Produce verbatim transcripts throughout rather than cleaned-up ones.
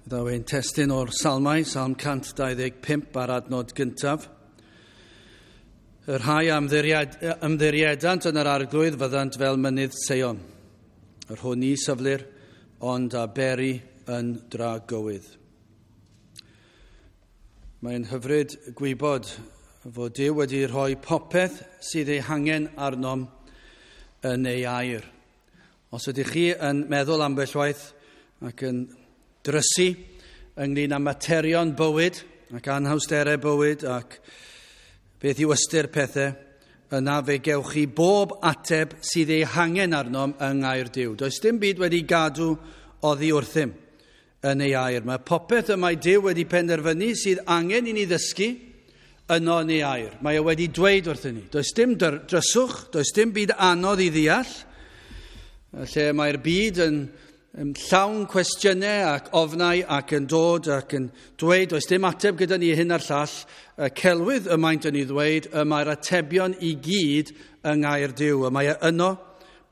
Ddaw ein testun o'r Salmau, Salm cant dau ddeg pump a'r adnod gyntaf. Y rhai a ymddiried, ymddiriedant yn yr Arglwydd fyddant fel mynydd Seion, yr hwn ni syflir, ond a beri yn dragywydd. Mae'n hyfryd gwybod fod Duw wedi rhoi popeth sydd ei hangen arnom yn ei air. Os ydych chi yn meddwl ambell waith ac yn drysu ynglyn â materion bywyd ac anhawsterau bywyd ac beth yw ystyr pethau, yna fe gewch chi bob ateb sydd ei hangen arnom yng ngair Duw. Does dim byd wedi gadw oddi wrthym yn ei air. Mae popeth y mae Duw wedi penderfynu sydd angen i ni ddysgu yno yn ei air. Mae e wedi dweud wrthyn ni. Does dim dryswch, does dim byd anodd i ddeall, lle mae'r byd yn llawn cwestiynau ac ofnau ac yn dod ac yn dweud, does dim ateb gyda ni hyn a'r llall, y celwydd y maent yn ei ddweud, y mae'r atebion i gyd yng ngair Duw. Y mae e yno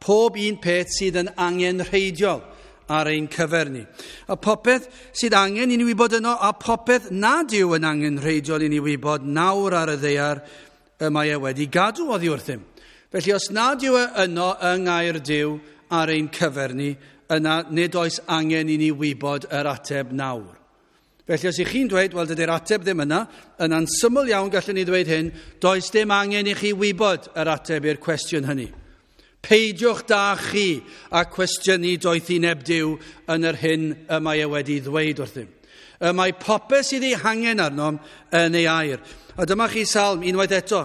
pob un peth sydd yn angenrheidiol ar ein cyfer ni. A popeth sydd angen i ni wybod yno, a popeth nad yw yn angenrheidiol i ni wybod nawr ar y ddaear, y mae e wedi gadw oddi wrthym. Felly os nad yw e yno yng ngair Duw ar ein cyfer ni, yna nid oes angen i ni wybod yr ateb nawr. Felly os ych chi'n dweud, wel dydy'r ateb ddim yna, yna'n syml iawn gallwn ni ddweud hyn, does dim angen i chi wybod yr ateb i'r cwestiwn hynny. Peidiwch da chi a cwestiynu doethineb Duw yn yr hyn y mae e wedi ddweud wrthym. Y mae popeth sydd ei hangen arnom yn ei air. A dyma chi salm unwaith eto,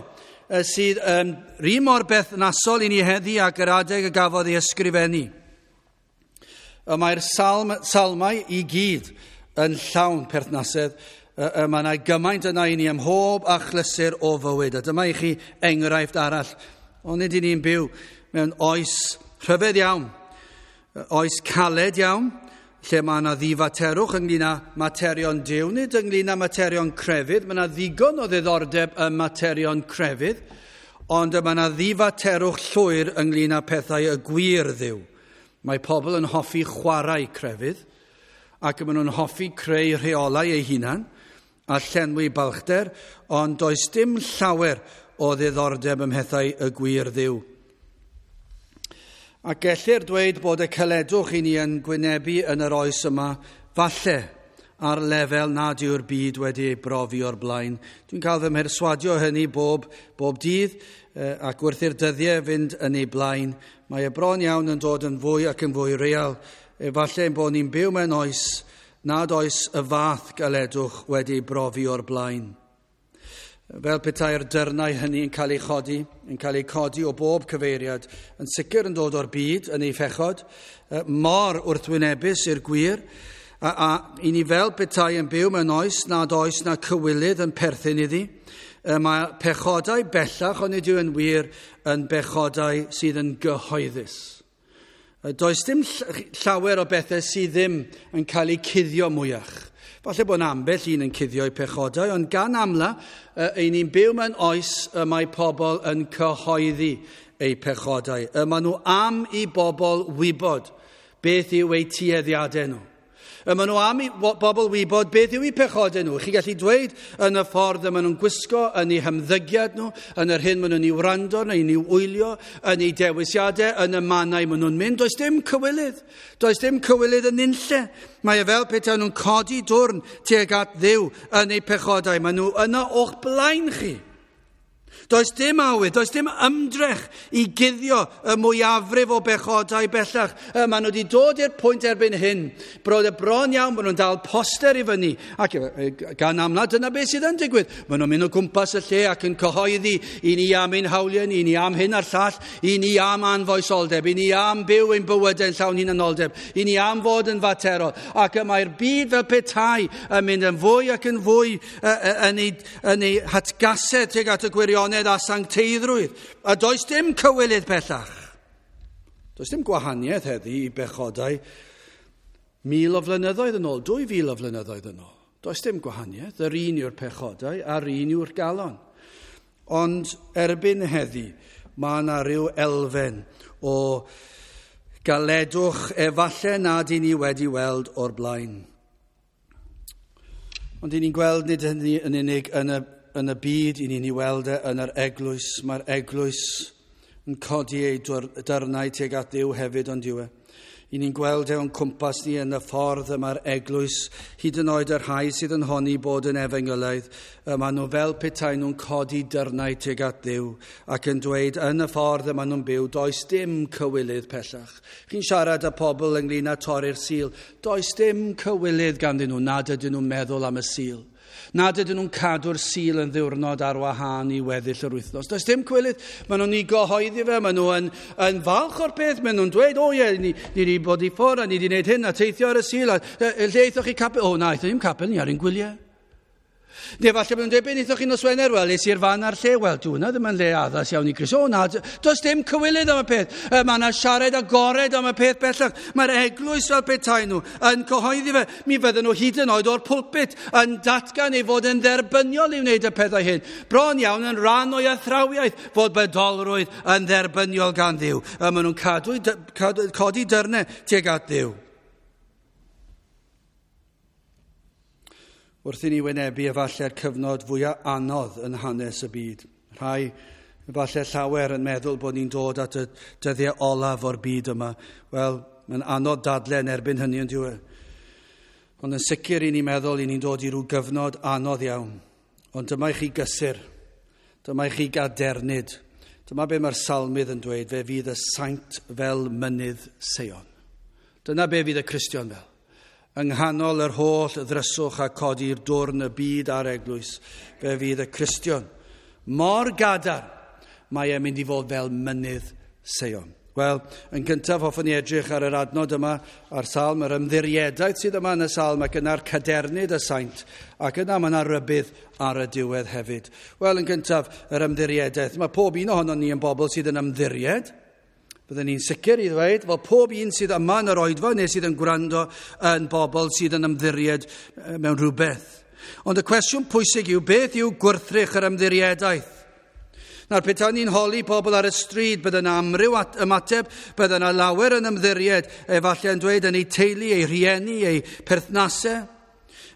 sydd yn rhi mor berthnasol i ni heddi ac yr adeg y gafodd ei ysgrifennu. Y mae'r salm, salmau i gyd yn llawn perthnasedd. Y mae yna gymaint yna i ni ym mhob achlysur o fywyd. A dyma i chi enghraifft arall. Ond nid i ni'n byw mewn oes rhyfedd iawn, oes caled iawn, lle mae yna ddifaterwch ynglyn â materion Duw, nid ynglyn â materion crefydd. Mae yna ddigon o ddiddordeb ym materion crefydd, ond mae yna ddifaterwch llwyr ynglyn â pethau y gwir Dduw. Mae pobl yn hoffi chwarae crefydd, ac maen nhw'n hoffi creu rheolau eu hunan a llenwi balchder, ond does dim llawer o ddiddordeb ym mhethau y gwir Dduw. A gellir dweud bod y caledwch i ni yn gwynebu yn yr oes yma, falle ar lefel nad yw'r byd wedi ei brofi o'r blaen. Dwi'n cael fy mherswadio hynny bob, bob dydd, ac wrth i'r dyddiau fynd yn ei blaen, mae y bron iawn yn dod yn fwy ac yn fwy real. Efallai ein bod ni'n byw mewn oes nad oes y fath galedwch wedi ei brofi o'r blaen. Fel petai'r dyrnau hynny yn cael ei chodi, yn cael ei codi o bob cyfeiriad, yn sicr yn dod o'r byd yn ei phechod, mor wrthwynebus i'r gwir, a, a i ni fel petai yn byw mewn oes nad oes na cywilydd yn perthyn iddi. Mae pechodau bellach, ond nid yw yn wir, yn bechodau sydd yn gyhoeddus. Does dim llawer o bethau sydd ddim yn cael eu cuddio mwyach. Falle bod ambell un yn cuddio eu pechodau, ond gan amla, ein ni'n byw mewn oes y mae pobl yn cyhoeddi eu pechodau. Y maen nhw am i bobl wybod beth yw eu tueddiadau nhw. Y maen nhw am i bobl wybod beth yw eu pechodau nhw. Chi'n gallu dweud yn y ffordd y maen nhw'n gwisgo, yn eu hymddygiad nhw, yn yr hyn maen nhw'n ei wrando, yn ei wylio, yn eu dewisiadau, yn y mannau maen nhw'n mynd. Does dim cywilydd. Does dim cywilydd yn unlle. Mae e fel petai nhw'n codi dwrn tuag at Dduw yn eu pechodau. Maen nhw yno o'ch blaen chi. Does dim awydd, does dim ymdrech i guddio y mwyafrif o bechodau bellach. Maen nhw wedi dod i'r pwynt erbyn hyn, bod y bron iawn, maen nhw'n dal poster i fyny. Ac gan amla, dyna beth sydd yn digwydd. Maen nhw'n mynd o gwmpas y lle ac yn cyhoeddi i ni am ein hawliau, i ni am hyn a'r llall, i ni am anfoesoldeb, i ni am byw ein bywydau yn llawn hunanoldeb, i ni am fod yn faterol. Ac y mae'r byd fel petai yn mynd yn fwy ac yn fwy yn ei, yn ei hatgasedd tuag at y gwirionedd a sancteiddrwydd. A does dim cywilydd bellach. Does dim gwahaniaeth heddi i bechodau mil o flynyddoedd yn ôl, dwy fil o flynyddoedd yn ôl. Does dim gwahaniaeth, yr un yw'r pechodau a'r un yw'r galon. Ond erbyn heddi, mae yna rhyw elfen o galedwch efallai nad i ni wedi weld o'r blaen. Ond i ni'n gweld nid hynny yn unig yn y, yn y byd, i ni'n ei weld e yn yr eglwys. Mae'r eglwys yn codi ei dyrnau tuag at Dduw hefyd, ond yw e. I ni'n gweld e o'n cwmpas ni yn y ffordd y mae'r eglwys, hyd yn oed y rhai sydd yn honni bod yn efengylaidd, y maen nhw fel petai nhw'n codi dyrnau tuag at Dduw ac yn dweud yn y ffordd y maen nhw'n byw, does dim cywilydd pellach. Chi'n siarad â pobl ynglyn â torri'r Sul, does dim cywilydd ganddyn nhw nad ydyn nhw'n meddwl am y Sul. Nad ydyn nhw'n cadw'r Sul yn ddiwrnod ar wahân i weddill yr wythnos. Does dim cywilydd. Maen nhw'n ei gyhoeddi fe, maen nhw yn, yn falch o'r peth, maen nhw'n dweud, o ie, ni, ni wedi bod i ffwrdd a ni wedi gwneud hyn a teithio ar y Sul. A, e, lle aethoch chi capel? O na, aethon ni'm capel, ni ar ein gwyliau. Neu falle bod nhw'n dweud, be wnaethoch chi nos Wener? Wel, es i'r fan a'r lle. Wel, dwi hwnna ddim yn le addas iawn i Grist. O na, does dim cywilydd am y peth. Mae yna siarad agored am y peth bellach. Mae'r eglwys fel petai nhw yn cyhoeddi fe. Mi fydden nhw hyd yn oed o'r pulpit yn datgan ei fod yn dderbyniol i wneud y pethau hyn. Bron iawn yn rhan o'i athrawiaeth fod bedolrwydd yn dderbyniol gan Dduw. A maen nhw'n cadw, cadw, codi dyrnau tuag at Dduw. Wrth i ni wynebu efallai'r cyfnod fwyaf anodd yn hanes y byd. Rhai efallai llawer yn meddwl bod ni'n dod at y dyddiau olaf o'r byd yma. Wel, mae'n anodd dadle yn erbyn hynny yn diwedd. Ond yn sicr i ni'n meddwl i ni'n dod i ryw gyfnod anodd iawn. Ond dyma i chi gysur, dyma i chi gadernid. Dyma be mae'r salmydd yn dweud, fe fydd y saint fel mynydd Seion. Dyna be fydd y Cristion fel. Yng nghanol yr holl ddryswch a codi'r dwrn y byd a'r eglwys, fe fydd y Cristion mor gadarn, mae e'n mynd i fod fel mynydd Seion. Wel, yn gyntaf hoffwn i edrych ar yr adnod yma, a'r salm, yr ymddiriedaeth sydd yma yn y salm, ac yna'r cadernid y saint, ac yna mae yna rybudd ar y diwedd hefyd. Wel, yn gyntaf, yr ymddiriedaeth. Mae pob un ohonon ni yn bobl sydd yn ymddiried. Byddwn ni'n sicr i ddweud fod pob un sydd yma yn yr oedfa neu sydd yn gwrando yn bobl sydd yn ymddiried mewn rhywbeth. Ond y cwestiwn pwysig yw, beth yw gwrthrych yr ymddiriedaeth? Nawr, petai ni'n holi pobl ar y stryd, bydde yna amryw ymateb, bydde yna lawer yn ymddiried, efallai yn dweud yn eu teulu, eu rhieni, eu perthnasau.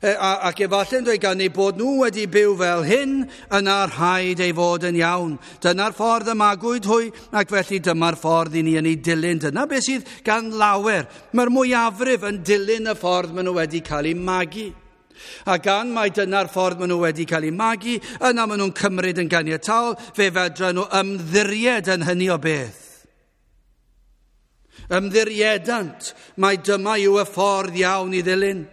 Ac efallai yn dweud gan eu bod nhw wedi byw fel hyn, yna rhaid ei fod yn iawn. Dyna'r ffordd y magwyd hwy, ac felly dyma'r ffordd i ni yn ei dilyn. Dyna beth sydd gan lawer. Mae'r mwyafrif yn dilyn y ffordd maen nhw wedi cael eu magu. A gan mai dyna'r ffordd maen nhw wedi cael eu magu, yna maen nhw'n cymryd yn ganiataol, fe fedra nhw ymddiried yn hynny o beth. Ymddiriedant, mai dyma yw y ffordd iawn i ddilyn.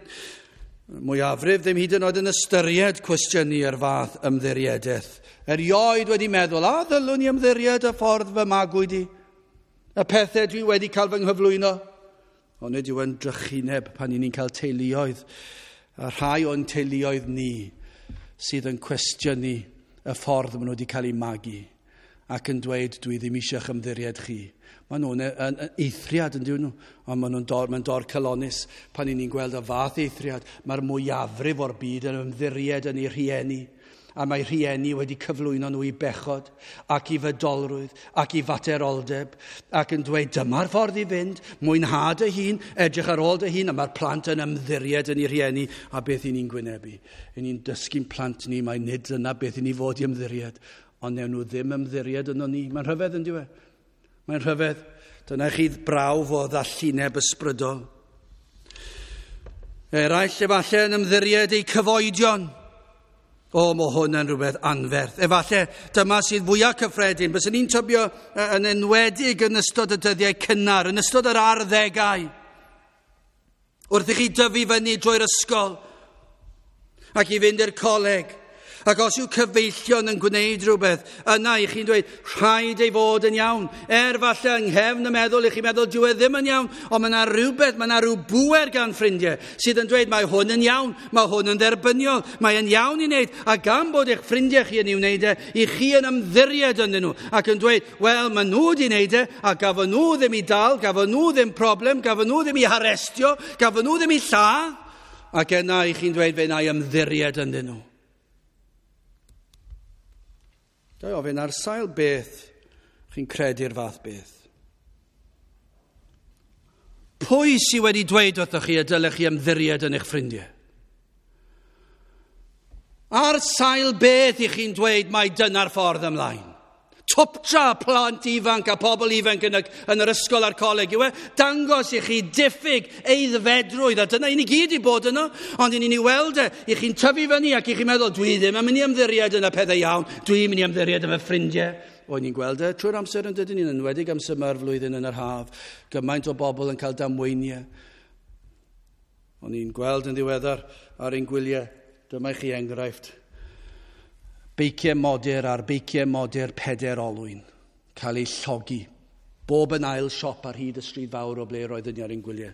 Mwyafrif ddim hyd yn oed yn ystyried cwestiynu yr fath ymddiriedaeth. Erioed wedi meddwl, a ddylwn i ymddiried y ffordd fy magwyd i? Y pethau dwi wedi cael fy nghyflwyno? Ond nid yw yn drychineb pan i ni'n cael teuluoedd, a rhai o'n teuluoedd ni sydd yn cwestiynu y ffordd maen nhw wedi cael eu magu ac yn dweud, dwi ddim eisiau'ch ymddiried chi. Maen nhw'n yn eithriad yn dyn nhw, ond maen nhw'n dor, mae'n dor calonus pan i ni'n gweld y fath eithriad. Mae'r mwyafrif o'r byd yn ymddiried yn eu rhieni, a mae rhieni wedi cyflwyno nhw i bechod ac i fydolrwydd ac i fateroldeb ac yn dweud dyma'r ffordd i fynd, mwynha dy hun, edrych ar ôl dy hun, a mae'r plant yn ymddiried yn eu rhieni. A beth i ni'n gwynebu? I ni'n dysgu'n plant ni mai nid dyna beth i ni fod i ymddiried, ond newn nhw ddim ymddiried yno ni. Mae'n rhyfedd yn dyw e? Mae'n rhyfedd. Dyna chi brawf o ddallineb ysbrydol. Eraill efallai yn ymddiried eu cyfoedion. O, mae hwn yn rhywbeth anferth. Efallai dyma sydd fwyaf cyffredin. Byswn ni'n tybio yn enwedig yn ystod y dyddiau cynnar, yn ystod yr arddegau. Wrth i chi dyfu fyny drwy'r ysgol ac i fynd i'r coleg. Ac os yw cyfeillion yn gwneud rhywbeth, yna i chi'n dweud, rhaid ei fod yn iawn. Er falle yng nghefn y meddwl, i chi'n meddwl, dyw e ddim yn iawn, ond mae yna rhywbeth, mae yna rhyw bŵer gan ffrindiau sydd yn dweud, mae hwn yn iawn, mae hwn yn dderbyniol, mae yn iawn i wneud. A gan bod eich ffrindiau chi yn ei wneud e, i chi yn ymddiried ynddyn nhw, ac yn dweud, wel, maen nhw wedi wneud e, a gafon nhw ddim i dal, gafon nhw ddim problem, gafon nhw ddim i harestio, gafon nhw ddim i lladd. Ac yna i chi'n dweud, fe wna i ymddiried ynddyn nhw. Da i ofyn ar sail beth chi'n credu'r fath beth. Pwy sydd wedi dweud wrthoch chi y dylech chi ymddiried yn eich ffrindiau? Ar sail beth i chi'n dweud mai dyna'r ffordd ymlaen? Twptra plant ifanc a pobl ifanc yn, y, yn yr ysgol a'r coleg yw e, dangos i chi diffyg eiddfedrwydd, a dyna i ni gyd i bod yno, ond i ni'n ei weld e, i chi'n tyfu fyny ac i chi'n meddwl, dwi ddim yn mynd i ymddiried yn y pethau iawn, dwi'n mynd i ymddiried yn fy ffrindiau. O'n ni'n gweld e trwy'r amser yn dydyn ni'n enwedig amser yma'r flwyddyn yn yr haf, gymaint o bobl yn cael damweiniau. O'n i'n gweld yn ddiweddar ar ein gwyliau, dyma i chi enghraifft. Beiciau modur ar beiciau modur peder olwyn, cael eu llogi. Bob yn ail siop ar hyd y stryd fawr o ble roeddwn ni ar ein gwyliau.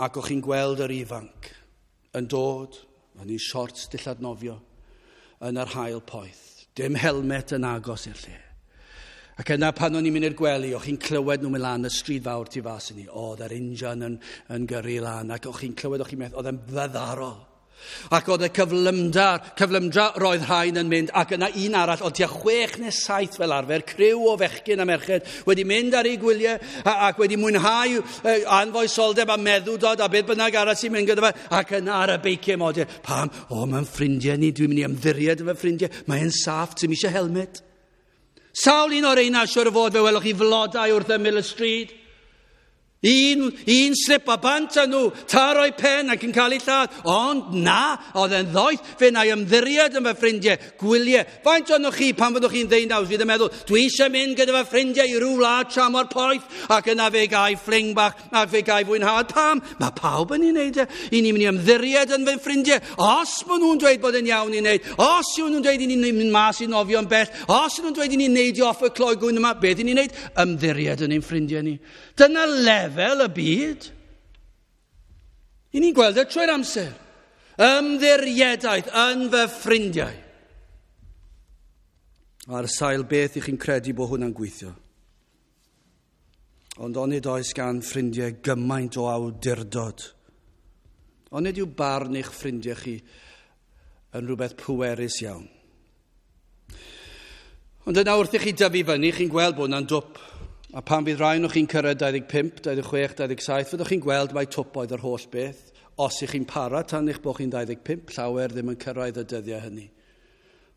Ac o'ch chi'n gweld yr ifanc yn dod yn ei siorts dillad nofio yn yr haul poeth. Dim helmet yn agos i'r lle. Ac yna pan o'n i'n mynd i'r gwely, o'ch chi'n clywed nhw'n mynd lan y stryd fawr tu fas i ni. Oedd yr injan yn, yn gyrru lan, ac o'ch chi'n clywed, o'ch chi'n meddwl, oedd e'n fyddarol. Ac oedd y cyflymdra, cyflymdra roedd rhain yn mynd, ac yna un arall, oedd tua chwech neu saith fel arfer, criw o fechgyn a merched, wedi mynd ar eu gwyliau ac wedi mwynhau anfoesoldeb a meddwdod a beth bynnag arall sy'n mynd gyda fe, ac yna ar y beiciau modur. Pam? O, mae'n ffrindiau ni, dwi'n mynd i ymddiried yn fy ffrindiau, mae'n saff, ti'n eisiau helmet. Sawl un o'r reina, siwr o fod, fe welwch chi flodau wrth ymyl y stryd. Un, un slip a bant â nhw, taro'i pen ac yn cael ei lladd. Ond na, oedd e'n ddoeth, fe na i ymddiried yn fy ffrindiau, gwyliau. Faint ohonoch chi pan fyddwch chi'n ddeunaw, fydd yn meddwl, dwi eisiau mynd gyda fy ffrindiau i ryw wlad tramor poeth, ac yna fe gai fling bach, ac fe gai fwynhad. Pam? Mae pawb yn ei wneud e. I ni'n mynd i ymddiried yn fy ffrindiau. Os maen nhw'n dweud bod yn iawn i wneud, os yw nhw'n dweud i ni'n mynd mas i nofio'n bell, os yw nhw'n dweud i ni'n neidio off y clogwyn yma, beth i ni'n wneud? Ymddiried yn ein ffrindiau ni. Dyna lefel y byd. I ni'n gweld e trwy'r amser. Ymddiriedaeth yn fy ffrindiau. Ar sail beth i chi'n credu bod hwnna'n gweithio. Ond onid oes gan ffrindiau gymaint o awdurdod. Onid yw barn eich ffrindiau chi yn rhywbeth pwerus iawn. Ond yna wrth i chi dyfu fyny, chi'n gweld bod hwnna'n dwp. A pan fydd rhai o'ch chi'n cyrraedd dau ddeg pump, dau ddeg chwech, dau ddeg saith, fyddwch chi'n gweld mai twp oedd yr holl beth. Os ych chi'n para tan eich bod chi'n dau ddeg pump, llawer ddim yn cyrraedd y dyddiau hynny,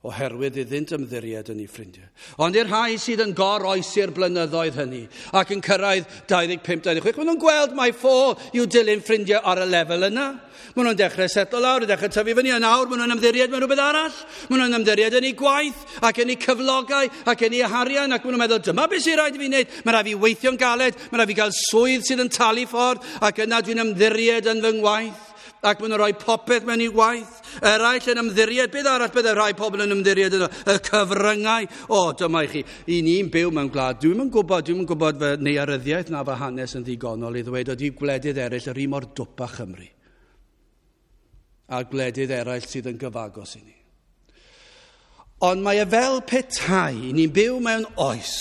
oherwydd iddynt ymddiried yn eu ffrindiau. Ond i'r rhai sydd yn goroesi'r blynyddoedd hynny ac yn cyrraedd dau ddeg pump, dau ddeg chwech, maen nhw'n gweld mai ffôl yw dilyn ffrindiau ar y lefel yna. Maen nhw'n dechrau setlo lawr, yn dechrau tyfu fyny, a nawr maen nhw'n ymddiried mewn rhywbeth arall. Maen nhw'n ymddiried yn eu gwaith ac yn eu cyflogau ac yn eu harian, ac maen nhw'n meddwl, dyma beth sy'n rhaid i fi wneud. Mae rhaid fi weithio'n galed, mae rhaid fi gael swydd sydd yn talu ffordd, ac yna dwi'n ymddiried yn fy ngwaith. Ac maen nhw'n rhoi popeth mewn i waith. Eraill yn ymddiried. Beth arall bydde rhai pobl yn ymddiried yno? Y cyfryngau. O, dyma i chi. I ni'n byw mewn gwlad. Dwi'm yn gwybod, dwi'm yn gwybod fy nearyddiaeth na fy hanes yn ddigonol i ddweud ydy gwledydd eraill yr un mor dwp â Chymru. A gwledydd eraill sydd yn gyfagos i ni. Ond mae e fel petai, i ni'n byw mewn oes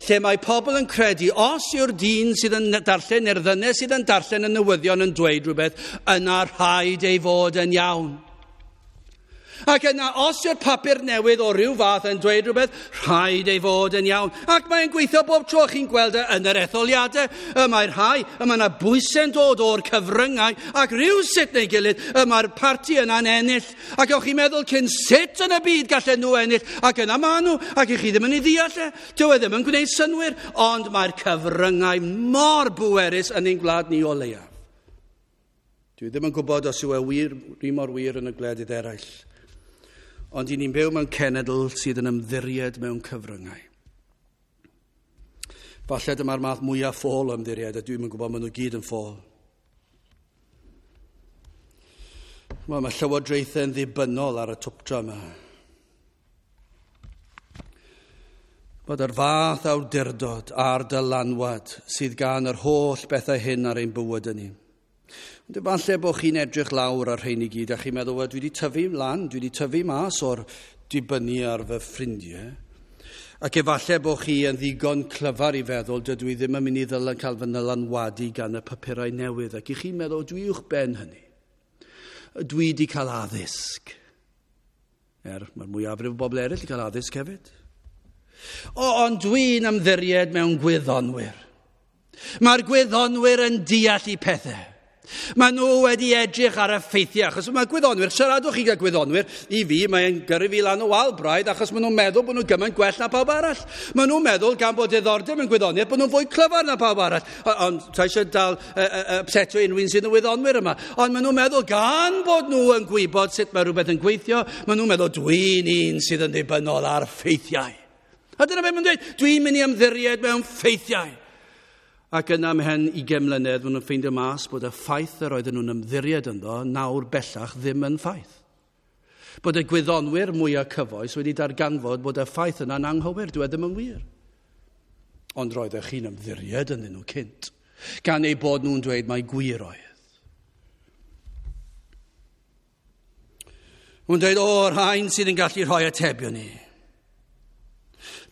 lle mae pobl yn credu, os yw'r dyn sydd yn darllen neu'r ddynes sydd yn darllen y newyddion yn dweud rhywbeth, yna rhaid ei fod yn iawn. Ac yna, os yw'r papur newydd o ryw fath yn dweud rhywbeth, rhaid ei fod yn iawn. Ac mae'n gweithio bob tro chi'n gweld e yn yr etholiadau. Y mae'r rhai, y mae yna bwysau'n dod o'r cyfryngau, ac rhyw sut neu gilydd, y mae'r parti yna'n ennill. Ac o'ch chi'n meddwl cyn sut yn y byd gallen nhw ennill, ac yna maen nhw, ac i chi ddim yn ei ddeall e. Dyw e ddim yn gwneud synnwyr, ond mae'r cyfryngau mor bwerus yn ein gwlad ni o leiaf. Dwi ddim yn gwybod os yw e wir, rhi mor wir yn y gwledydd eraill. Ond i ni'n byw mewn cenedl sydd yn ymddiried mewn cyfryngau. Falle dyma'r math mwyaf ffôl o ymddiried, a dwi'm yn gwybod maen nhw gyd yn ffôl. Wel, mae llywodraethau'n ddibynnol ar y twpdra yma. Bod yr fath awdurdod a'r dylanwad sydd gan yr holl bethau hyn ar ein bywyd ni. Ond efallai bod chi'n edrych lawr ar rhain i gyd a chi'n meddwl, wel, dwi wedi tyfu lan, dwi wedi tyfu mas o'r dibynnu ar fy ffrindiau. Ac efallai bod chi yn ddigon clyfar i feddwl, dydw i ddim yn mynd i ddylan cael fy nylanwadu gan y papurau newydd. Ac i chi'n meddwl, dwi uwch ben hynny. Dwi wedi cael addysg. Er, mae'r mwyafrif o bobl eraill wedi cael addysg hefyd. O, ond dwi'n ymddiried mewn gwyddonwyr. Mae'r gwyddonwyr yn deall i pethau. Maen nhw wedi edrych ar y ffeithiau, achos mae gwyddonwyr, siaradwch chi gyda gwyddonwyr, i fi mae'n gyrru fi lan o wal braidd, achos maen nhw'n meddwl bod nhw'n gymaint gwell na pawb arall. Maen nhw'n meddwl, gan bod diddordeb yn gwyddoniaeth, bod nhw'n fwy clyfar na pawb arall. Ond ta eisiau dal upsetio unrhyw un sydd yn wyddonwyr yma. Ond maen nhw'n meddwl, gan bod nhw yn gwybod sut mae rhywbeth yn gweithio, maen nhw'n meddwl, dwi'n un sydd yn ddibynnol ar ffeithiau. A dyna beth maen nhw'n dweud, dwi'n mynd i ymddiried mewn ffeithiau. Ac yna ymhen ugain mlynedd, maen nhw'n ffeindio mas bod y ffaith yr oedden nhw'n ymddiried ynddo nawr bellach ddim yn ffaith. Bod y gwyddonwyr mwyaf cyfoes wedi darganfod bod y ffaith yna'n anghywir, dyw e ddim yn wir. Ond roeddech chi'n ymddiried ynddyn nhw cynt, gan eu bod nhw'n dweud mai gwir oedd. Nhw'n dweud, o, rhain sydd yn gallu rhoi atebion ni.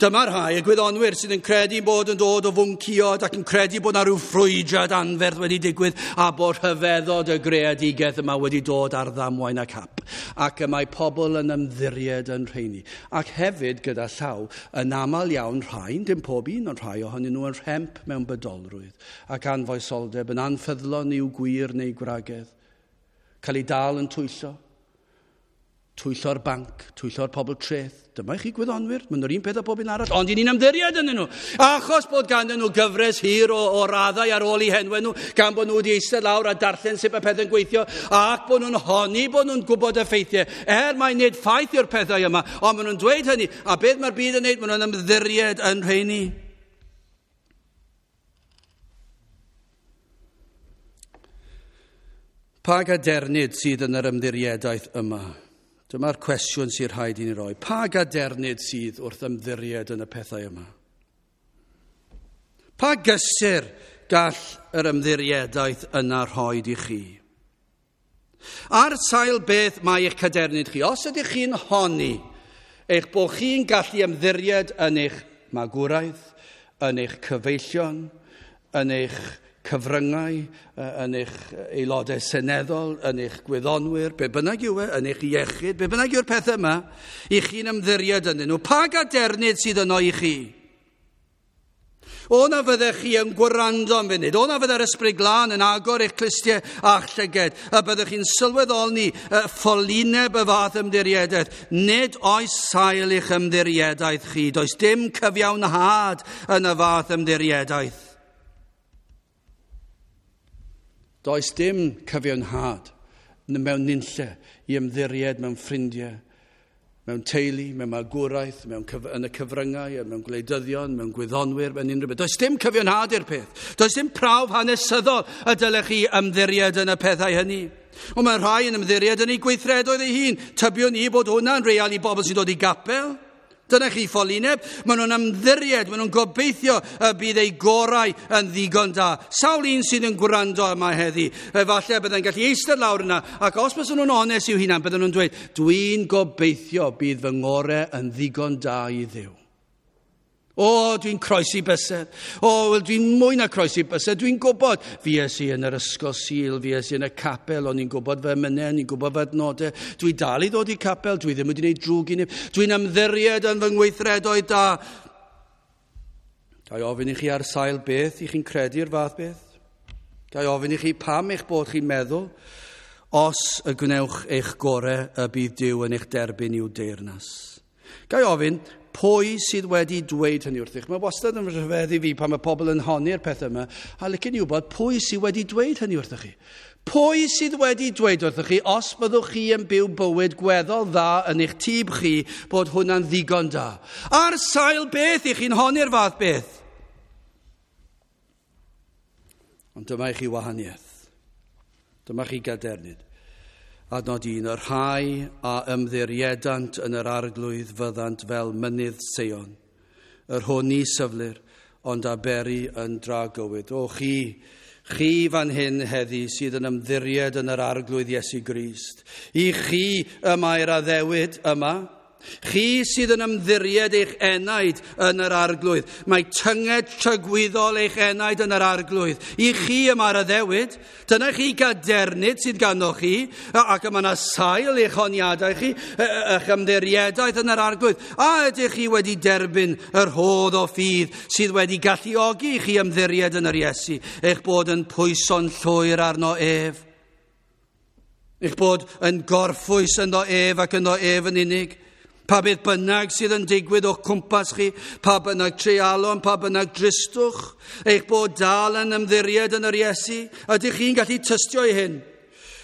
Dyma'r rhai, y gwyddonwyr sydd yn credu bod yn dod o fwnciod ac yn credu bod na rhyw ffrwydrad anferth wedi digwydd a bod rhyfeddod y greadigaeth yma wedi dod ar ddamwain ac hap. Ac y mae pobl yn ymddiried yn rheini. Ac hefyd gyda llaw, yn aml iawn rhai, dim pob un, ond rhai ohonyn nhw yn rhemp mewn bydolrwydd ac anfoesoldeb, yn anffyddlon i'w gwir neu gwragedd, cael ei dal yn twyllo. Twyllo'r banc, twyllo'r pobl treth. Dyma i chi gwyddonwyr, maen nhw'r un peth â pob un arall, ond i ni'n ymddiried ynddyn nhw. Achos bod ganddyn nhw gyfres hir o, o raddau ar ôl eu henwau nhw, gan bod nhw wedi eistedd lawr a darllen sut mae pethau'n gweithio, ac bod nhw'n honni bod nhw'n gwybod y ffeithiau. Er mai nid ffaith yw'r pethau yma, ond maen nhw'n dweud hynny. A beth mae'r byd yn neud? Maen nhw'n ymddiried yn rheini. Pa gadernid sydd yn yr ymddiriedaeth yma? Dyma'r cwestiwn sy'n rhaid i ni roi. Pa gadernid sydd wrth ymddiried yn y pethau yma? Pa gysur gall yr ymddiriedaeth yna rhoi i chi? Ar sail beth mae eich cadernid chi? Os ydych chi'n honni eich bod chi'n gallu ymddiried yn eich magwraeth, yn eich cyfeillion, yn eich cyfryngau, yn eich aelodau seneddol, yn eich gwyddonwyr, be bynnag yw e, yn eich iechyd, be bynnag yw'r pethau yma, i chi'n ymddiried ynddyn nhw. Pa gadernid sydd yno i chi? O na fyddech chi yn gwrando am funud, o na fydde'r Ysbryd Glân yn agor eich clustiau a'ch llyged, a byddech chi'n sylweddoli ffolineb y fath ymddiriedaeth. Nid oes sail i'ch ymddiriedaeth chi, does dim cyfiawnhad yn y fath ymddiriedaeth. Does dim cyfiawnhad mewn nunlle i ymddiried mewn ffrindiau, mewn teulu, mewn magwraeth, mewn cyf- yn y cyfryngau, mewn gwleidyddion, mewn gwyddonwyr, mewn unrhyw beth. Does dim cyfiawnhad i'r peth. Does dim prawf hanesyddol y dylech chi ymddiried yn y pethau hynny. Ond mae rhai yn ymddiried yn eu gweithredoedd eu hun. Tybiwn ni bod hwnna'n real i bobl sy'n dod i gapel. Dyna chi ffolineb. Maen nhw'n ymddiried, maen nhw'n gobeithio y bydd eu gorau yn ddigon da. Sawl un sydd yn gwrando yma heddi, efallai bydde'n gallu eistedd lawr yna, ac os bys nhw'n onest i'w hunan, bydden nhw'n dweud, dwi'n gobeithio bydd fy ngorau yn ddigon da i Dduw. O, dwi'n croesi bysedd. O, wel, dwi'n mwy na croesi bysedd. Dwi'n gwybod. Fues i yn yr ysgol Sul, fues i yn y capel, o'n i'n gwybod fy emynau, o'n i'n gwybod fy adnodau. Dwi dal i ddod i capel, dwi ddim wedi gwneud drwg i neb. Dwi'n ymddiried yn fy ngweithredoedd da. Ga i ofyn i chi ar sail beth i chi'n credu'r fath beth? Ga i ofyn i chi pam eich bod chi'n meddwl os y gwnewch eich gorau y bydd Duw yn eich derbyn i'w deyrnas? Ga i ofyn, pwy sydd wedi dweud hynny wrthych? Mae wastad yn rhyfeddu fi pan mae pobl yn honni'r pethau yma, a licen i wybod pwy sydd wedi dweud hynny wrthych chi. Pwy sydd wedi dweud wrthych chi, os byddwch chi yn byw bywyd gweddol dda yn eich tŷb chi, bod hwnna'n ddigon da? Ar sail beth i chi'n honni'r fath beth? Ond dyma i chi wahaniaeth. Dyma chi gadernid. Adnod un, y rhai a ymddiriedant yn yr arglwydd fyddant fel mynydd Seion, yr hwn ni syflir, ond a beri yn dragywydd. O chi, chi fan hyn heddi sydd yn ymddiried yn yr arglwydd Iesu Grist. I chi y mae'r addewid yma, Chi sydd yn ymddiried eich enaid yn yr arglwydd. Mae tynged tragwyddol eich enaid yn yr arglwydd. I chi y mae'r addewid. Dyna chi gadernid sydd ganddo chi, ac y mae yna sail eich honiadau chi, eich ymddiriedaeth yn yr arglwydd. A ydych chi wedi derbyn yr rhodd o ffydd sydd wedi galluogi i chi ymddiried yn yr Iesu, eich bod yn pwyso'n llwyr arno ef? Eich bod yn gorffwys ynddo ef ac ynddo ef yn unig? Pa beth bynnag sydd yn digwydd o'ch cwmpas chi, pa bynnag treialon, pa bynnag dristwch, eich bod dal yn ymddiried yn yr Iesu, ydych chi'n gallu tystio i hyn?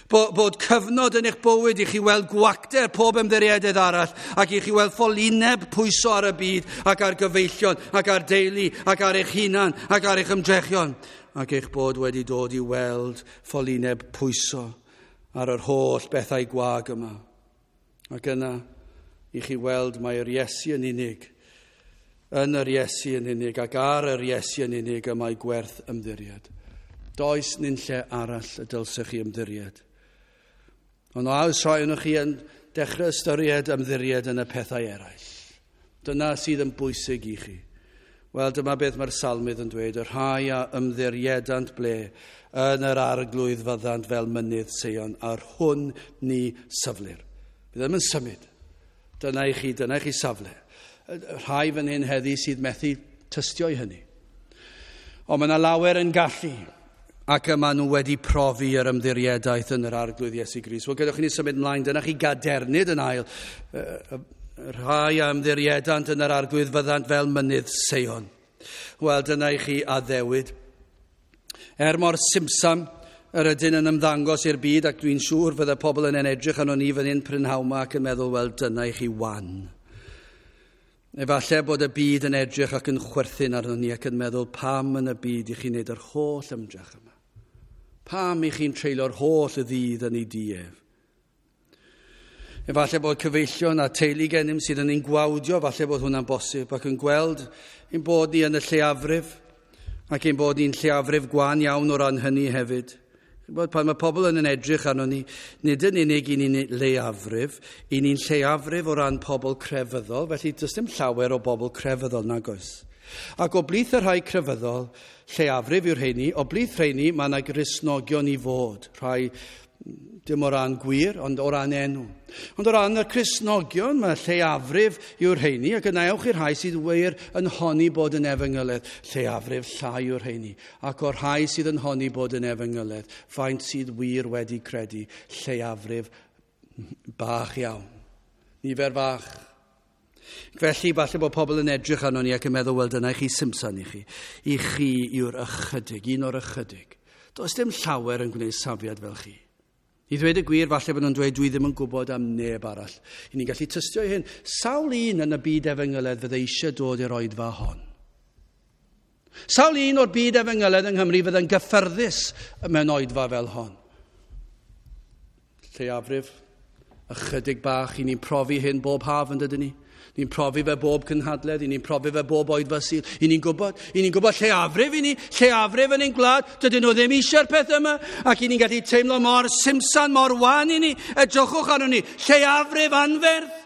Bod, bod cyfnod yn eich bywyd i chi weld gwacter pob ymddiriededd arall, ac i chi weld ffolineb pwyso ar y byd, ac ar gyfeillion, ac ar deulu, ac ar eich hunan, ac ar eich ymdrechion, ac eich bod wedi dod i weld ffolineb pwyso ar yr holl bethau gwag yma. Ac yna, i chi weld mae'r Iesu yn unig, yn yr Iesu yn unig ac ar yr Iesu yn unig y mae gwerth ymddiried. Does nunlle arall y dylsech chi ymddiried. Ond oes rhai ohonoch chi yn dechrau ystyried ymddiried yn y pethau eraill. Dyna sydd yn bwysig i chi. Wel, dyma beth mae'r salmydd yn dweud, y rhai a ymddiriedant ble yn yr arglwydd fyddant fel mynydd Seion, a'r hwn ni syflir. Bydd ddim yn symud. Dyna i chi, dyna i chi safle. Rhai fan hyn heddi sydd methu tystio i hynny. Ond mae yna lawer yn gallu, ac yma nhw wedi profi yr ymddiriedaeth yn yr arglwydd Iesu Grist. Wel, gadewch i ni symud ymlaen, dyna chi gadernid yn ail. Rhai a ymddiriedant yn yr arglwydd fyddant fel mynydd Seion. Wel, dyna i chi addewid. Er mor simsam yr ydyn yn ymddangos i'r byd, ac dwi'n siŵr fydde pobl yn edrych arno ni fan hyn prynhawn 'ma ac yn meddwl, wel, dyna i chi wan. Efallai bod y byd yn edrych ac yn chwerthin arno ni ac yn meddwl, pam yn y byd i chi'n neud yr holl ymdrech yma? Pam i chi'n treulio'r holl y ddydd yn ei dief? Efallai bod cyfeillion a teulu gennym sydd yn ein gwawdio, falle bod hwnna'n bosib, ac yn gweld ein bod ni yn y lleiafrif, ac ein bod ni'n lleiafrif gwan iawn o ran hynny hefyd. Bod pan mae pobl yn edrych arno ni, nid yn unig i ni'n leiafrif, i ni'n lleiafrif o ran pobl crefyddol, felly does dim llawer o bobl crefyddol nag oes. Ac o blith y rhai crefyddol, lleiafrif yw'r rheini, o blith rheini mae yna Gristnogion i fod, rhai dim o ran gwir, ond o ran enw. Ond o ran y Cristnogion, mae lleiafrif yw'r rheini, ac yna ewch i'r rhai sydd wir yn honni bod yn efengyledd, lleiafrif llai yw'r rheini. Ac o'r rhai sydd yn honni bod yn efengyledd, faint sydd wir wedi credu, lleiafrif bach iawn. Nifer fach. Felly, falle bod pobl yn edrych arno ni ac yn meddwl, wel, dyna i chi simsan i chi. I chi yw'r ychydig, un o'r ychydig. Does dim llawer yn gwneud safiad fel chi. I ddweud y gwir, falle bod nhw'n dweud, dwi ddim yn gwybod am neb arall. I ni'n gallu tystio i hyn. Sawl un yn y byd efengyledd fydde eisiau dod i'r oedfa hon? Sawl un o'r byd efengyledd yng Nghymru fydde'n gyffyrddus mewn oedfa fel hon? Lleiafrif, ychydig bach, i ni'n profi hyn bob haf yn dydyn ni. Ni'n profi fe bob cynhadledd, i ni'n profi fe bob oedfa Sul. I ni'n gwybod, i ni'n gwybod lleiafrif i ni, lleiafrif yn ein gwlad, dydyn nhw ddim eisiau'r peth yma, ac i ni'n gallu teimlo mor simsan, mor wan i ni, edrychwch arno ni, lleiafrif anferth.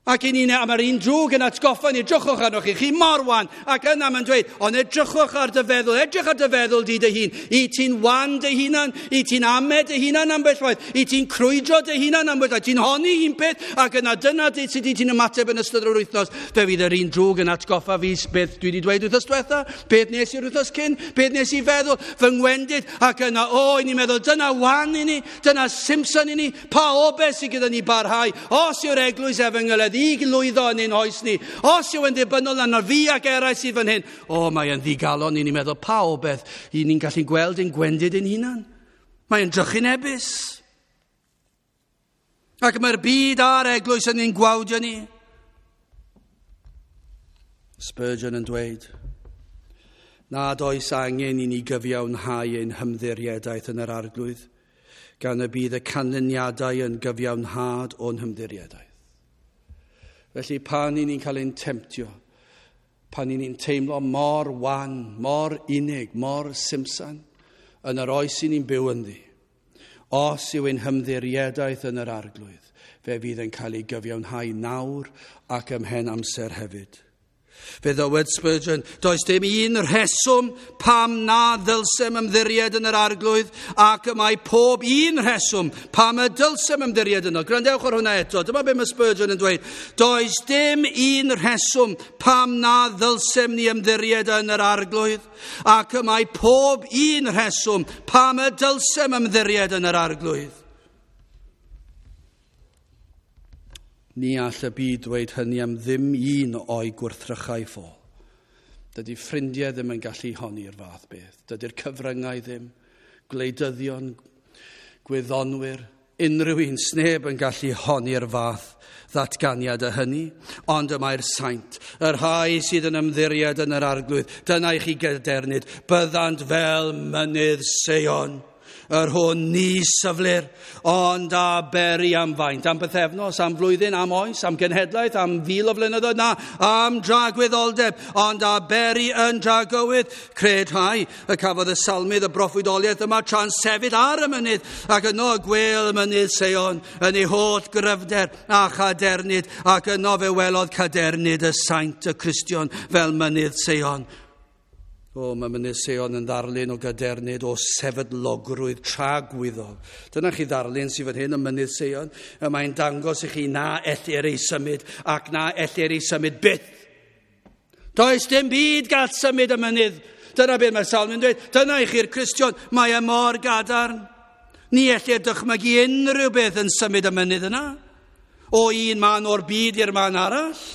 Ac i ni'n, a mae'r un drwg yn atgoffa ni, edrychwch arno chi, chi mor wan. Ac yna mae'n dweud, ond edrychwch ar dy feddwl, edrych ar dy feddwl di dy hun. I ti'n wan dy hunan, i ti'n ame dy hunan ambell waith, i ti'n crwydro dy hunan ambell waith, ti'n honni un peth, ac yna dyna sut i ti'n ymateb yn ystod yr wythnos. Fe fydd yr un drwg yn atgoffa fi beth dwi wedi dweud wythnos diwetha, beth nes i'r wythnos cyn, beth nes i feddwl, fy ngwendid, ac yna, o, i ni'n meddwl, dyna wan i ni, dyna simsan i ni, pa obaith sydd gyda ni barhau, os yw'r eglwys efengyledd i lwyddo yn ein oes ni, os yw yn ddibynnol arno fi ac eraill sydd fan hyn, o, mae yn ddigalon i ni'n meddwl pa obaith i ni'n gallu gweld ein gwendid ein hunan. Mae'n drychinebus. Ac mae'r byd a'r eglwys yn ein gwawdio ni. Spurgeon yn dweud, nad oes angen i ni gyfiawnhau ein hymddiriedaeth yn yr arglwydd, gan y bydd y canlyniadau yn gyfiawnhad o'n hymddiriedaeth. Felly pan i ni'n cael ein temtio, pan i ni'n teimlo mor wan, mor unig, mor simsan, yn yr oes i ni'n byw ynddi, Os yw ein hymddiriedaeth yn yr Arglwydd, fe fydd yn cael ei gyfiawnhau nawr ac ymhen amser hefyd. Fe ddywed Spurgeon, does dim un rheswm pam na ddylsem ymddiried yn yr Arglwydd, ac y mae pob un rheswm pam y dylsem ymddiried yno. Gwrandewch ar hwnna eto, dyma be mae Spurgeon yn dweud. Does dim un rheswm pam na ddylsem ni ymddiried yn yr Arglwydd, ac y mae pob un rheswm pam y dylsem ymddiried yn yr Arglwydd. Ni all y byd dweud hynny am ddim un o'i gwrthrychau ffôl. Dydy ffrindiau ddim yn gallu honni'r fath beth. Dydy'r cyfryngau ddim, gwleidyddion, gwyddonwyr, unrhyw un, sneb yn gallu honni'r fath ddatganiad y hynny. Ond y mae'r saint, y rhai sydd yn ymddiried yn yr Arglwydd, dyna i chi gadernid, byddant fel mynydd Seion, yr hwn ni syflir, ond a beri am faint, am bythefnos, am flwyddyn, am oes, am genhedlaeth, am fil o flynyddoedd, na, am dragwyddoldeb, ond a beri yn dragywydd. Cred rhai y cafodd y salmydd y broffwydoliaeth yma tra'n sefyll ar y mynydd, ac yno y gwêl y mynydd Seion yn ei holl gryfder a chadernid, ac yno fe welodd cadernid y saint y Cristion fel mynydd Seion. O, mae mynydd Seion yn ddarlun o gadernid, o sefydlogrwydd tragwyddol. Dyna chi ddarlun sydd fan hyn, y mynydd Seion. Y mae'n dangos i chi na ellir ei symud ac na ellir ei symud byth. Does dim byd gall symud y mynydd. Dyna beth mae'r salm yn dweud. Dyna i chi'r Cristion, mae e mor gadarn. Ni ellir dychmygu unrhyw beth yn symud y mynydd yna. O un man o'r byd i'r man arall.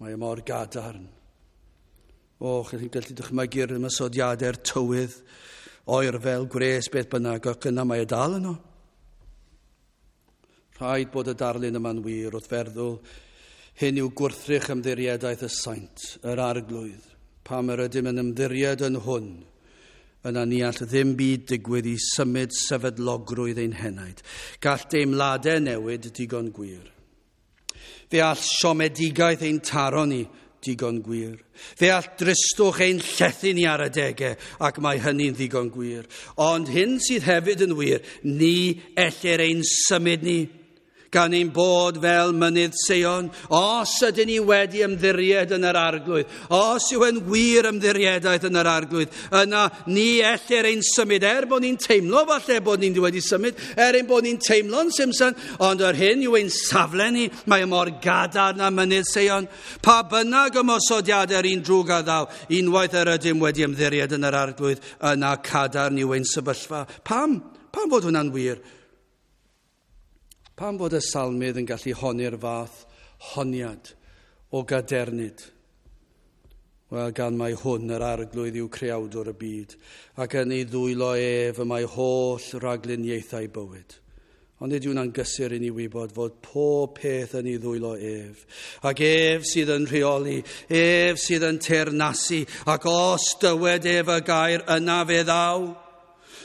Mae e mor gadarn. O, chi'n gallu dychmygu'r ymosodiadau'r tywydd, oerfel, gwres, beth bynnag, ac yna mae e dal yno. Rhaid bod y darlun yma'n wir wrth feddwl, hyn yw gwrthrych ymddiriedaeth y saint, yr Arglwydd. Pam yr ydym yn ymddiried yn hwn, yna ni all ddim byd digwydd i symud sefydlogrwydd ein henaid. Gall deimladau newid digon gwir. Fe all siomedigaeth ein taro ni digon gwir. Fe all dristwch ein llethu ni ar adegau, ac mae hynny'n ddigon gwir. Ond hyn sydd hefyd yn wir, ni ellir ein symud ni, gan ein bod fel mynydd Seion. Os ydyn ni wedi ymddiried yn yr Arglwydd, os yw yn wir ymddiriedaeth yn yr Arglwydd, yna ni ellir ein symud, er bod ni'n teimlo falle bod ni'n wedi symud, er ein bod ni'n teimlo'n simsan, ond yr hyn yw ein safle ni, mae mor gadarn â mynydd Seion. Pa bynnag ymosodiadau'r un drwg a ddaw, unwaith yr ydym wedi ymddiried yn yr Arglwydd, yna cadarn yw ein sefyllfa. Pam? Pam fod hwnna'n wir? Pam fod y salmydd yn gallu honni'r fath honiad o gadernid? Wel, gan mai hwn yr Arglwydd yw creawdwr y byd, ac yn ei ddwylo ef y mae holl ragluniaethau bywyd. Ond nid yw'n gysur i ni wybod fod pob peth yn ei ddwylo ef. Ac ef sydd yn rheoli, ef sydd yn teyrnasu, ac os dywed ef y gair, yna fe ddaw.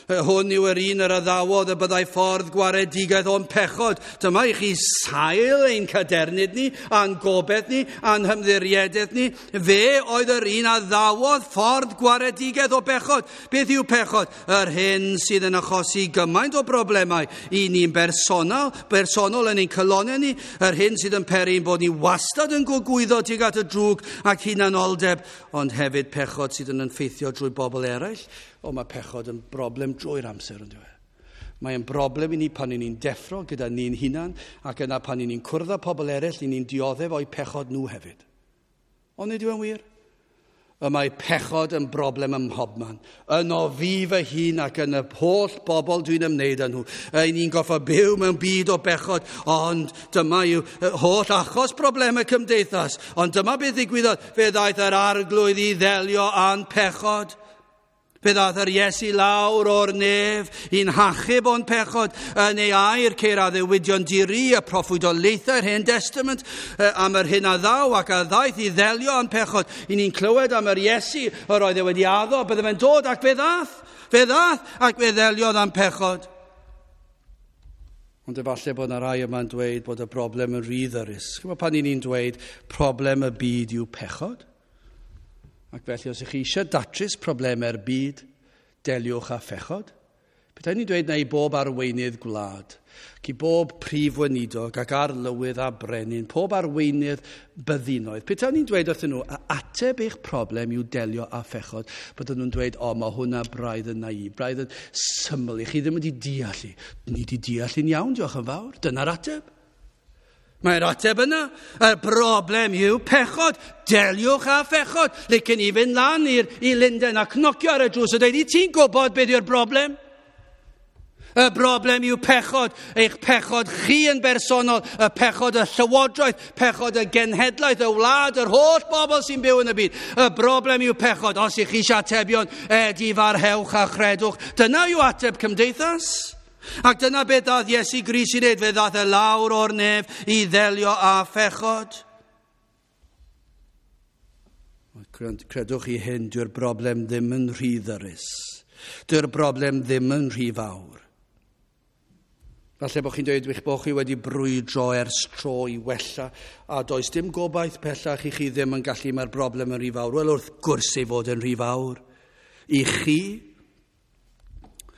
Hwn yw yr un yr addawodd y byddai ffordd gwaredigaeth o'n pechod. Dyma i chi sail ein cadernid ni, a'n gobeith ni, a'n hymddiriedaeth ni. Fe oedd yr un addawodd ffordd gwaredigaeth o bechod. Beth yw pechod? Yr hyn sydd yn achosi gymaint o broblemau i ni'n bersonol, bersonol yn ein calonnau ni, yr hyn sydd yn peri ein bod ni wastad yn gogwyddo tuag at y drwg ac hunanoldeb, ond hefyd pechod sydd yn effeithio drwy bobl eraill. O, mae pechod yn broblem drwy'r amser, yn dyw e. Mae'n broblem i ni pan ni'n deffro gyda ni'n hunan, ac yna pan ni'n cwrdd â pobl eraill, ni'n dioddef o'u pechod nhw hefyd. Ond nid yw e'n wir? Y mae pechod yn broblem ym mhobman. Yno fi fy hun ac yn y holl bobl dwi'n ymwneud â nhw. Ein ni'n goffa byw mewn byd o bechod, ond dyma yw holl achos problemau cymdeithas. Ond dyma beth ddigwyddodd. Fe ddaeth yr Arglwydd i ddelio â'n pechod. Fe ddaeth yr Iesu lawr o'r nef i'n hachub o'n pechod. Yn ei air ceir addewidion diri y proffwydoliaethau'r Hen Testament am yr hyn a ddaw ac a ddaeth i ddelio â'n pechod. I ni'n clywed am yr Iesu yr oedd e wedi addo, bydde fe'n dod ac fe ddath. Fe ddath ac fe ddeliodd â'n pechod. Ond efallai bod yna rai yma'n dweud bod y broblem yn rhy ddyrus. Chimod pan ni'n dweud problem y byd yw pechod? Ac felly, os ych chi eisiau datrys problemau'r byd, deliwch â phechod. Petai ni'n dweud na i bob arweinydd gwlad, ac i bob prif weinidog ac arlywydd a brenin, pob arweinydd byddinoedd. Petai ni'n dweud wrthyn nhw, a ateb eich problem yw delio â phechod, bydden nhw'n dweud, o, mae hwnna braidd yn naif, braidd yn syml i chi ddim wedi deall i. Ni wedi deall i'n iawn, diolch yn fawr. Dyna'r ateb. Mae'r ateb yna. Y broblem yw pechod. Deliwch â phechod. Licen i fynd lan i'r, i Lunden a cnocio ar y drws a dweud, i ti'n gwybod beth yw'r broblem? Y broblem yw pechod, eich pechod chi yn bersonol, y pechod y llywodraeth, pechod y genhedlaeth, y wlad, yr holl bobl sy'n byw yn y byd. Y broblem yw pechod. Os ych chi eisiau atebion, edifarhewch a chredwch. Dyna yw ateb cymdeithas. Ac dyna beth ddath Iesu Grist i wneud, fe ddath e lawr o'r nef i ddelio â phechod. Credwch chi hyn, dyw'r broblem ddim yn rhy ddyrus. Dyw'r broblem ddim yn rhy fawr. Falle bod chi'n dweud eich bod chi wedi brwydro ers tro i wella, a does dim gobaith pellach i chi ddim yn gallu, mae'r broblem yn rhy fawr. Wel, wrth gwrs ei fod yn rhy fawr. I chi,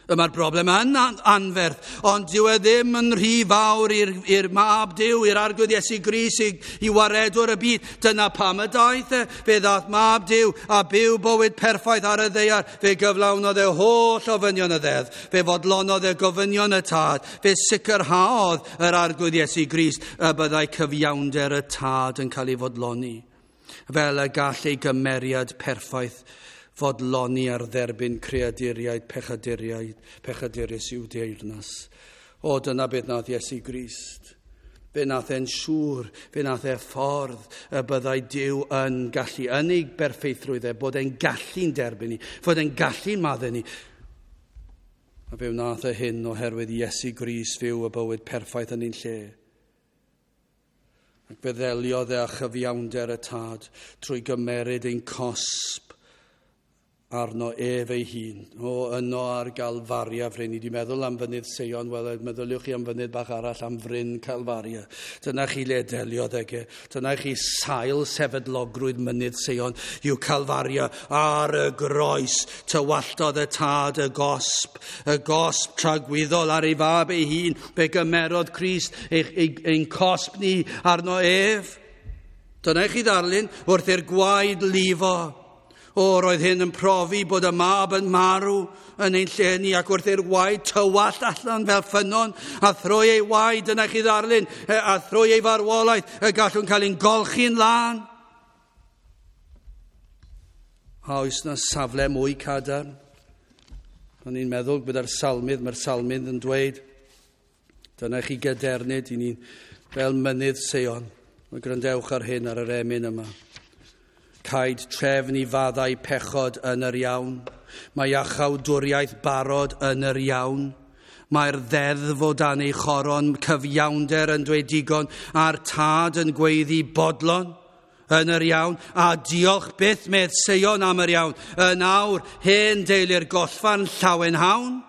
mae'r broblem yn anferth, ond dyw e ddim yn rhy fawr i'r mab Duw, i'r Arglwydd Iesu Grist, i, i waredwr y byd. Dyna pam y daeth e. Fe ddaeth mab Duw a byw bywyd perffaith ar y ddaear. Fe gyflawnodd e holl ofynion y ddeddf. Fe fodlonodd e gofynion y tad. Fe sicrhaodd yr Arglwydd Iesu Grist y byddai cyfiawnder y tad yn cael ei fodloni, fel y gall ei gymeriad perffaith fodloni ar dderbyn creaduriaid, pechaduriaid, pechadurus i'w deyrnas. O, dyna beth nath Iesu Grist. Fe nath e'n siŵr, fe nath e ffordd y byddai Duw yn gallu, yn ei berffeithrwydd e, bod e'n gallu'n derbyn ni, fod e'n gallu'n maddau ni. A fe wnaeth e hyn oherwydd Iesu Grist fyw y bywyd perffaith yn ein lle. Ac fe ddeliodd e â chyfiawnder y tad trwy gymeryd ein cosb arno ef ei hun. O, yno ar Galfaria, fryn. Ni wedi meddwl am fynydd Seion, wel, meddyliwch chi am fynydd bach arall, am fryn Calfaria. Dyna chi le deliodd ag e. Dyna chi sail sefydlogrwydd mynydd Seion yw Calfaria. Ar y groes tywalltodd y tad y gosb, y gosb tragwyddol ar ei fab ei hun. Fe gymerodd Crist ein, ein, ein cosb ni arno ef. Dyna chi ddarlun wrth i'r gwaed lifo. O, roedd hyn yn profi bod y mab yn marw yn ein lle ni, ac wrth i'r waed tywallt allan fel ffynnon, a thrwy ei waed, dyna chi ddarlun, a thrwy ei farwolaeth, y gallwn cael ein golchi'n lân. A oes na safle mwy cadarn? O'n i'n meddwl gyda'r salmydd, mae'r salmydd yn dweud, dyna chi gadernid i ni fel mynydd Seion. Mae gwrandewch ar hyn ar yr emyn yma. Caed trefn i faddau pechod yn yr iawn. Mae iachawdwriaeth barod yn yr iawn. Mae'r ddeddf o dan ei choron, cyfiawnder yn dweud digon, a'r tad yn gweiddi bodlon yn yr iawn. A diolch byth medd Seion am yr iawn. Yn awr, hen deulu'r gollfarn llawenhawn.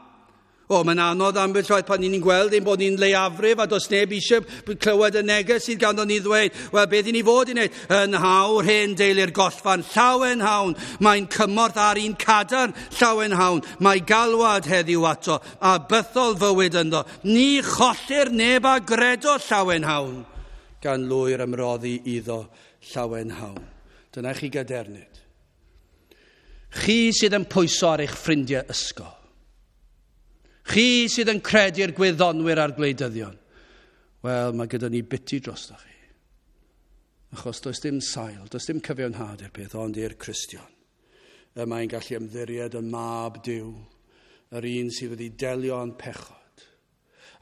O, mae'n anodd ambell waith pan ni'n gweld ein bod ni'n leiafrif a does neb eisiau clywed y neges sydd ganddo ni ddweud. Wel, beth i ni fod i wneud? Yn hawr hen deulu'r gollfarn, llawenhawn. Mae'n cymorth ar un cadarn, llawenhawn. Mae galwad heddiw ato a bythol fywyd ynddo. Ni chollir neb a gredo, llawenhawn. Gan lwyr ymroddi iddo, llawenhawn. Dyna chi gadernid. Chi sydd yn pwyso ar eich ffrindiau ysgol. Chi sydd yn credu'r gwyddonwyr a'r gwleidyddion. Wel, mae gyda ni biti drostoch chi. Achos does dim sail, does dim cyfiawnhad i'r peth, ond i'r Cristion. Y mae'n gallu ymddiried yn mab Duw, yr un sydd wedi delio â'n pechod.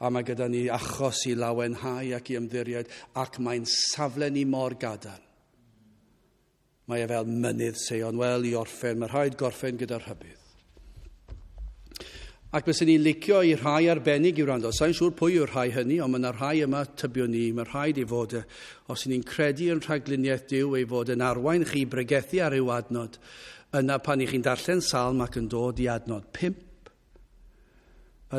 A mae gyda ni achos i lawenhau ac i ymddiried, ac mae'n safle ni mor gadarn. Mae e fel mynydd Seion. Wel, i orffen, mae rhaid gorffen gyda'r rhybudd. Ac byswn ni'n licio i rhai arbennig i wrando. Sa'n siŵr pwy yw'r rhai hynny, ond mae yna rhai yma tybiwn ni. Mae rhaid i fod, os ni'n credu yn rhagluniaeth Duw ei fod yn arwain chi bregethu ar ryw adnod, yna pan i chi'n darllen salm ac yn dod i adnod pump,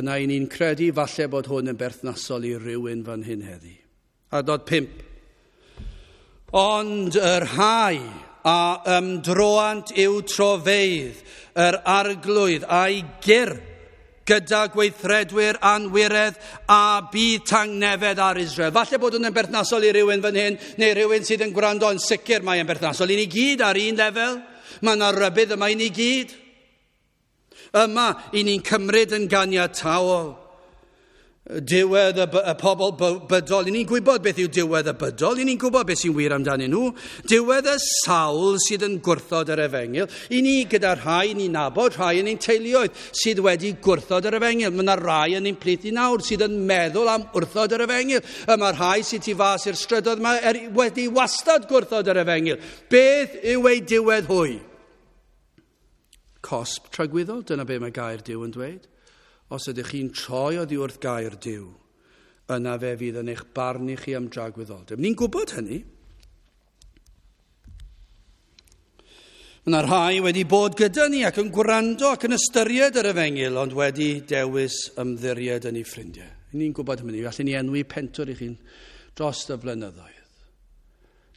yna i ni'n credu falle bod hwn yn berthnasol i rywun fan hyn heddi. Adnod pump. Ond y rhai a ymdroant i'w trofeydd, yr Arglwydd a'i gyr gyda gweithredwyr anwiredd a bydd tangnefedd ar Israel. Falle bod hwn yn berthnasol i rywun fan hyn, neu rhywun sydd yn gwrando, yn sicr mae yn berthnasol i ni gyd ar un lefel. Mae yna rybudd yma i ni gyd. Yma, i ni'n cymryd yn ganiataol diwedd y, y pobl bydol. I ni'n gwybod beth yw diwedd y bydol. I ni'n gwybod beth sy'n wir amdanyn nhw. Diwedd y sawl sydd yn gwrthod yr efengyl. I ni gyda rhai ni'n nabod, rhai yn ein teuluoedd sydd wedi gwrthod yr efengyl. Mae yna rai yn ein plith i nawr sydd yn meddwl am wrthod yr efengyl. Y mae rhai sydd tu fas i'r strydoedd yma er, wedi wastad gwrthod yr efengyl. Beth yw ei diwedd hwy? Cosb tragwyddol, dyna be mae gair Duw yn dweud. Os ydych chi'n troi oddi wrth gair Duw, yna fe fydd yn eich barnu chi am dragwyddoldeb. Ni'n gwybod hynny. Mae yna rhai wedi bod gyda ni ac yn gwrando ac yn ystyried yr efengyl, ond wedi dewis ymddiried yn ei ffrindiau. Ni'n gwybod hynny. Allwn ni enwi pentwr i chi'n dros y blynyddoedd.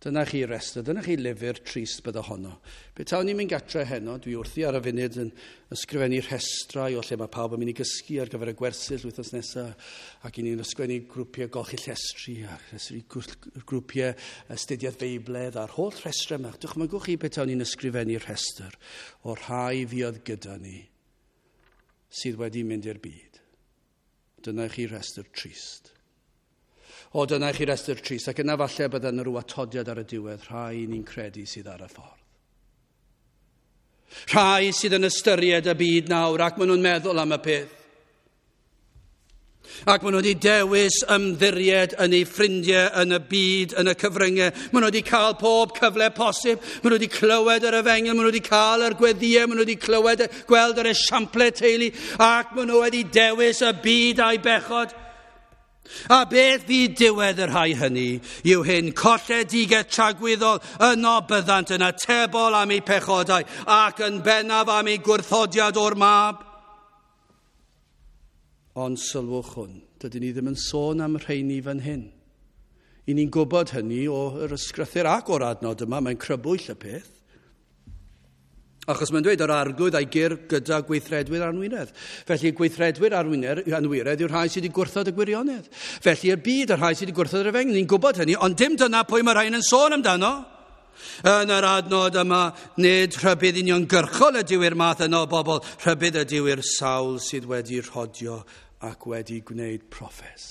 Dyna chi restr, dyna chi lyfr trist bydde honno. Be tawn ni'n mynd gatre heno, dwi wrthi ar y funud yn ysgrifennu rhestrau o lle mae pawb yn mynd i gysgu ar gyfer y gwersyll wythnos nesaf, ac i ni'n ysgrifennu grwpiau golchi llestri, a grwpiau astudiaeth Feibledd, a'r holl rhestrau yma. Dychmygwch chi be tawn ni'n ysgrifennu rhestr o'r rhai fuodd gyda ni sydd wedi mynd i'r byd. Dyna chi rhestr trist. O, dyna i chi restr trist, ac yna falle bydda yna rhyw atodiad ar y diwedd, rhai ni'n credu sydd ar y ffordd. Rhai sydd yn ystyried y byd nawr, ac maen nhw'n meddwl am y peth. Ac maen nhw wedi dewis ymddiried yn eu ffrindiau, yn y byd, yn y cyfryngau. Maen nhw wedi cael pob cyfle posib. Maen nhw wedi clywed yr efengyl, maen nhw wedi cael yr gweddïau, maen nhw wedi clywed, gweld yr esiample teulu, ac maen nhw wedi dewis y byd a'i bechod. A beth fydd diwedd y rhai hynny yw hyn, colledigaeth tragwyddol, yno byddant yn atebol am eu pechodau ac yn bennaf am eu gwrthodiad o'r mab. Ond sylwch hwn, dydyn ni ddim yn sôn am rheini fan hyn. I ni'n gwybod hynny o'r ysgrythur ac o'r adnod yma, mae'n crybwyll y peth. Achos mae'n dweud yr arglwydd a'i gyr gyda gweithredwyr anwiredd. Felly gweithredwyr anwiredd yw'r rhai sydd wedi gwrthod y gwirionedd. Felly y byd, y rhai sydd wedi gwrthod yr efengyl. Ni'n gwybod hynny, ond dim dyna pwy mae rhain yn sôn amdano. Yn yr adnod yma, nid rhybudd uniongyrchol ydyw i'r math yno o bobl, rhybudd ydyw i'r sawl sydd wedi rhodio ac wedi gwneud proffes.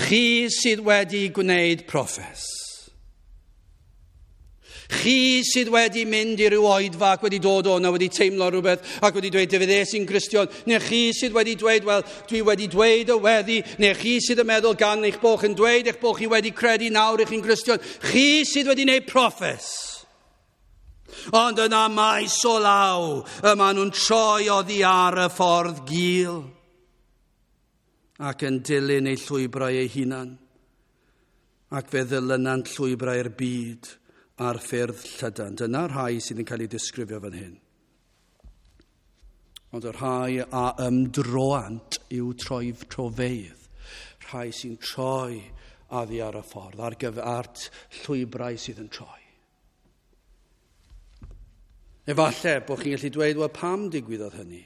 Chi sydd wedi gwneud proffes. Chi sydd wedi mynd i ryw oedfa ac wedi dod o'na, wedi teimlo rhywbeth ac wedi dweud, fe ddes i'n Gristion. Neu chi sydd wedi dweud, wel, dwi wedi dweud y weddi. Neu chi sydd yn meddwl gan eich bod chi'n dweud eich bod chi wedi credu nawr eich chi'n Gristion. Chi sydd wedi gwneud proffes. Ond yna maes o law, y maen nhw'n troi oddi ar y ffordd gul ac yn dilyn eu llwybrau eu hunan. Ac fe ddilynant llwybrau'r byd a'r ffyrdd llydan. Dyna rhai sydd yn cael ei disgrifio fan hyn. Ond y rhai a ymdroant yw troi trofeydd. Rhai sy'n troi oddi ar y ffordd, ar gyfer llwybrau sydd yn troi. Efallai bod chi'n gallu dweud, wel, pam digwyddodd hynny?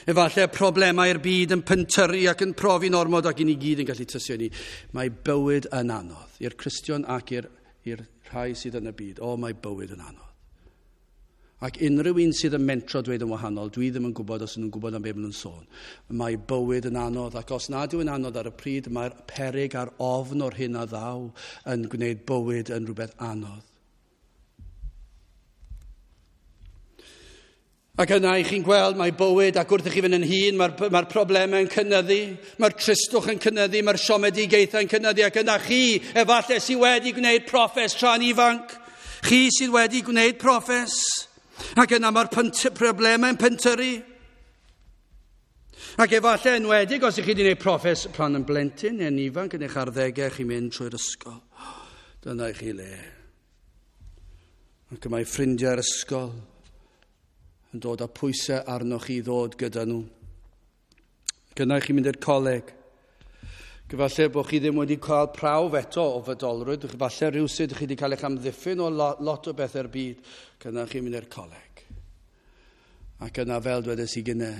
Efallai problemau'r byd yn pentyrru ac yn profi'n ormod ac i ni gyd yn gallu tystio ni. Mae bywyd yn anodd i'r Cristion ac i'r i'r rhai sydd yn y byd. O, mae bywyd yn anodd. Ac unrhyw un sydd yn mentro dweud yn wahanol, dwi ddim yn gwybod os nhw'n gwybod am beth maen nhw'n sôn. Mae bywyd yn anodd, ac os nad yw'n anodd ar y pryd, mae'r peryg a'r ofn o'r hyn a ddaw yn gwneud bywyd yn rhywbeth anodd. Ac yna i chi'n gweld mae bywyd, ac wrth i chi fynd yn hŷn, mae'r mae problemau yn cynyddu, mae'r tristwch yn cynyddu, mae'r siomedigaethau yn cynyddu, ac yna chi, efallai sydd wedi gwneud proffes tra'n ifanc, chi sydd wedi gwneud proffes, ac yna mae'r problemau yn pentyrru. Ac efallai enwedig, os ych chi wedi gwneud proffes pan yn blentyn neu'n ifanc yn eich arddegau, chi'n mynd trwy'r ysgol. Dyna i chi le. Ac mae ffrindiau'r ysgol yn dod â pwysau arnoch chi ddod gyda nhw. Gyna chi mynd i'r coleg. Falle bod chi ddim wedi cael prawf eto o fydolrwydd. Falle rhywsut chi wedi cael eich amddiffyn o lot o bethau'r byd. Gyna chi mynd i'r coleg. Ac yna, fel dwedes i gynne,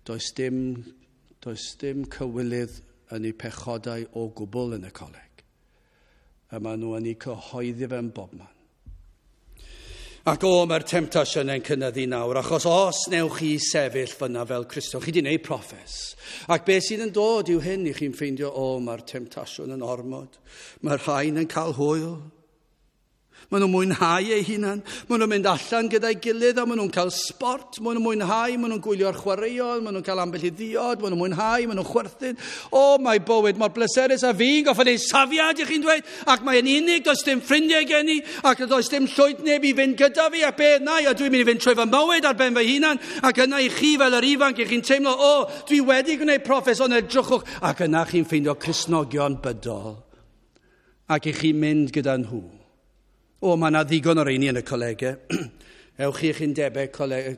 does dim, does dim cywilydd yn eu pechodau o gwbl yn y coleg. A maen nhw yn eu cyhoeddi fe yn bobman. Ac o, mae'r temtasiynau'n cynyddu nawr, achos os newch chi sefyll fyna fel Cristion, chi wedi gwneud proffes. Ac beth sydd yn dod yw hyn i chi'n ffeindio, o, mae'r temtasiwn yn ormod. Mae'r rhain yn cael hwyl. Maen nhw'n mwynhau eu hunan. Maen nhw'n mynd allan gyda'i gilydd a maen nhw'n cael sport. Maen nhw'n mwynhau, maen nhw'n gwylio'r chwaraeon, maen nhw'n cael ambell i ddiod, maen nhw'n mwynhau, maen nhw'n chwerthin. O, mae bywyd mor bleserus a fi'n gorfod neud safiad, i chi'n dweud. Ac mae'n unig, does dim ffrindiau gen i, ac does dim llwyth neb i fynd gyda fi, ac beth na, a dwi'n mynd i fynd trwy fy mywyd ar ben fy hunan. Ac yna i chi fel yr ifanc, i chi'n teimlo, o, dwi wedi gwneud proffes, ond edrychwch. Ac yna chi'n ffeindio Cristnogion bydol. Ac i chi'n mynd gyda nhw. O, mae yna ddigon o'r rheini yn y colegau. Ewch chi i'ch undebau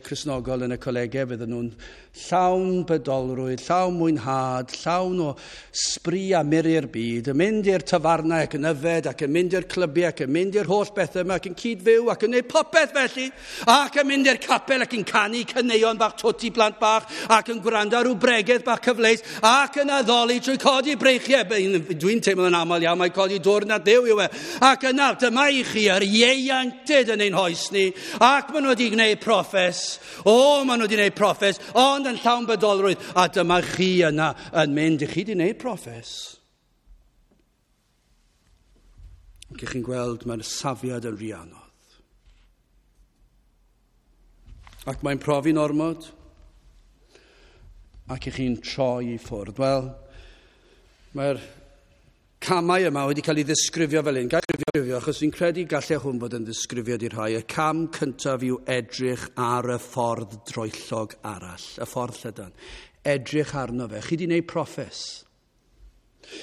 Cristnogol yn y colegau, fydden nhw'n llawn bydolrwydd, llawn mwynhad, llawn o sbri a miri'r byd, yn mynd i'r tafarnau ac yn yfed, ac yn mynd i'r clybiau, ac yn mynd i'r holl bethau yma, ac yn cyd-fyw, ac yn gwneud popeth felly, ac yn mynd i'r capel, ac yn canu caneuon bach twt i blant bach, ac yn gwrando ar rhyw bregeth bach cyfleus, ac yn addoli trwy codi breichiau. Dwi'n teimlo yn aml iawn, mae codi dwrn at Dduw yw e. Ac yna, dyma i chi yr ieuenctid yn ein hoes ni, ac maen nhw wedi gwneud proffes. O, maen nhw wedi gwneud proffes, ond yn llawn bydolrwydd. A dyma chi yna yn mynd, i chi wedi gwneud proffes. Ac i chi'n gweld mae'r safiad yn rhy anodd. Ac mae'n profi'n ormod. Ac i chi'n troi i ffwrdd. Wel, mae'r camau yma wedi cael ei ddisgrifio fel un. Gael ei ddisgrifio, achos fi'n credu gallai hwn fod yn ddisgrifiad i'r rhai. Y cam cyntaf yw edrych ar y ffordd droellog arall, y ffordd llydan. Edrych arno fe. Chi wedi gwneud proffes.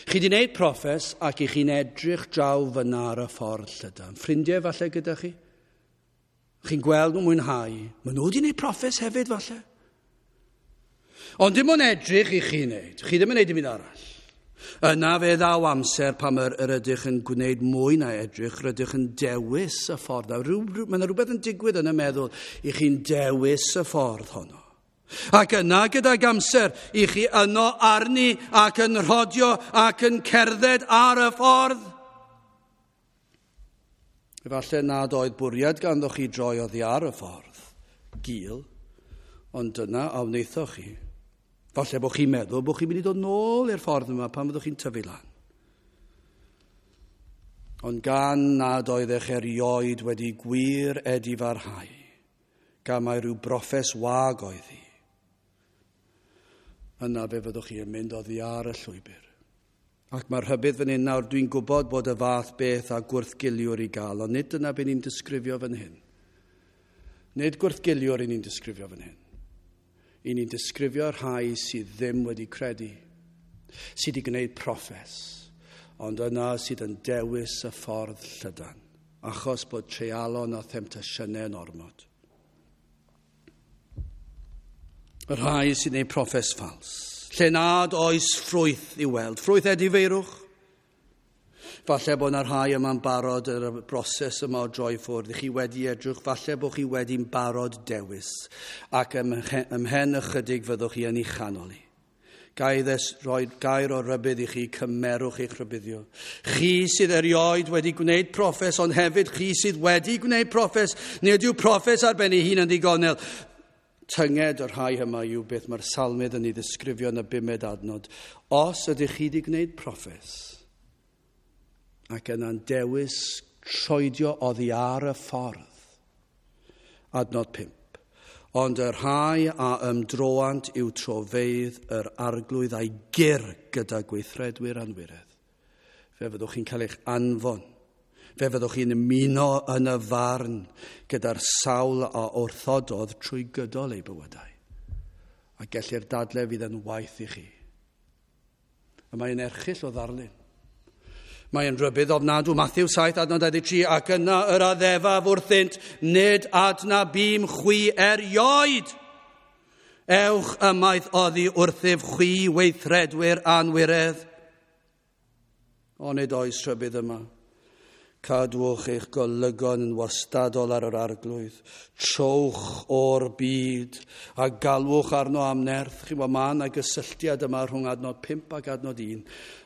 Chi wedi gwneud proffes ac i chi'n edrych draw fyna ar y ffordd llydan. Ffrindiau falle gyda chi? Chi'n gweld nhw'n mwynhau. Maen nhw wedi gwneud proffes hefyd falle. Ond dim ond edrych i chi wneud. Chi ddim yn gwneud dim byd arall. Yna fe ddaw amser pan yr, yr ydych yn gwneud mwy na edrych, rydych yn dewis y ffordd. Rhyw, rhyw, mae yna rhywbeth yn digwydd yn y meddwl i chi'n dewis y ffordd honno. Ac yna gydag amser i chi yno arni ac yn rhodio ac yn cerdded ar y ffordd. Efallai nad oedd bwriad ganddo chi droi oddi ar y ffordd, gul, ond dyna a wnaethoch chi. Falle bod chi'n meddwl bod chi'n mynd i dod nôl i'r ffordd yma pan fyddwch chi'n tyfu lan. Ond gan nad oeddech erioed wedi gwir edifarhau, gan mai rhyw broffes wag oedd hi, yna fe fyddwch chi yn mynd oddi ar y llwybr. Ac mae'r rhybudd fan hyn nawr, dwi'n gwybod bod y fath beth a gwrthgiliwr i gael, ond nid dyna be ni'n disgrifio fan hyn. Nid gwrthgiliwr i ni'n disgrifio fan hyn. I ni'n disgrifio rhai sydd ddim wedi credu, sydd wedi gwneud proffes, ond yna sydd yn dewis y ffordd llydan, achos bod treialon a themtasiynau yn ormod. Y rhai sy'n gwneud proffes ffals, lle nad oes ffrwyth i'w weld, ffrwyth edifeirwch. Falle bod yna rhai yma'n barod yr broses yma o droi ffwrdd. Chi wedi edrych, falle bod chi wedi'n barod dewis, ac ymhen ychydig fyddwch chi yn ei chanol i. Gai ddes roi gair o rybudd i chi, cymerwch eich rhybuddio. Chi sydd erioed wedi gwneud proffes, ond hefyd chi sydd wedi gwneud proffes, nid yw proffes ar ben ei hun yn ddigonel. Tynged y rhai yma yw beth mae'r salmydd yn ei ddisgrifio yn y bumed adnod. Os ydych chi wedi gwneud proffes, ac yna'n dewis troedio oddi ar y ffordd. Adnod pump. Ond y rhai a ymdroant yw trofeydd yr arglwydd a'i gyr gyda gweithredwyr anwiredd. Fe fyddwch chi'n cael eich anfon. Fe fyddwch chi'n ymuno yn y farn gyda'r sawl a wrthododd trwy gydol eu bywydau. A gellir dadle fydd yn waith i chi. A mae'n erchyll o ddarlun. Mae'n rhybudd ofnadw, Matthew saith, adnod dau ddeg tri, ac yna yr addefaf wrthynt, nid adnabûm chwi erioed. Ewch ymaith oddi wrthyf chwi weithredwyr anwiredd. Onid oes rhybudd yma. Cadwch eich golygon yn wastadol ar yr arglwydd. Trowch o'r byd a galwch arno am nerth. Chi'n gwybod, mae yna gysylltiad yma rhwng adnod pump ac adnod un.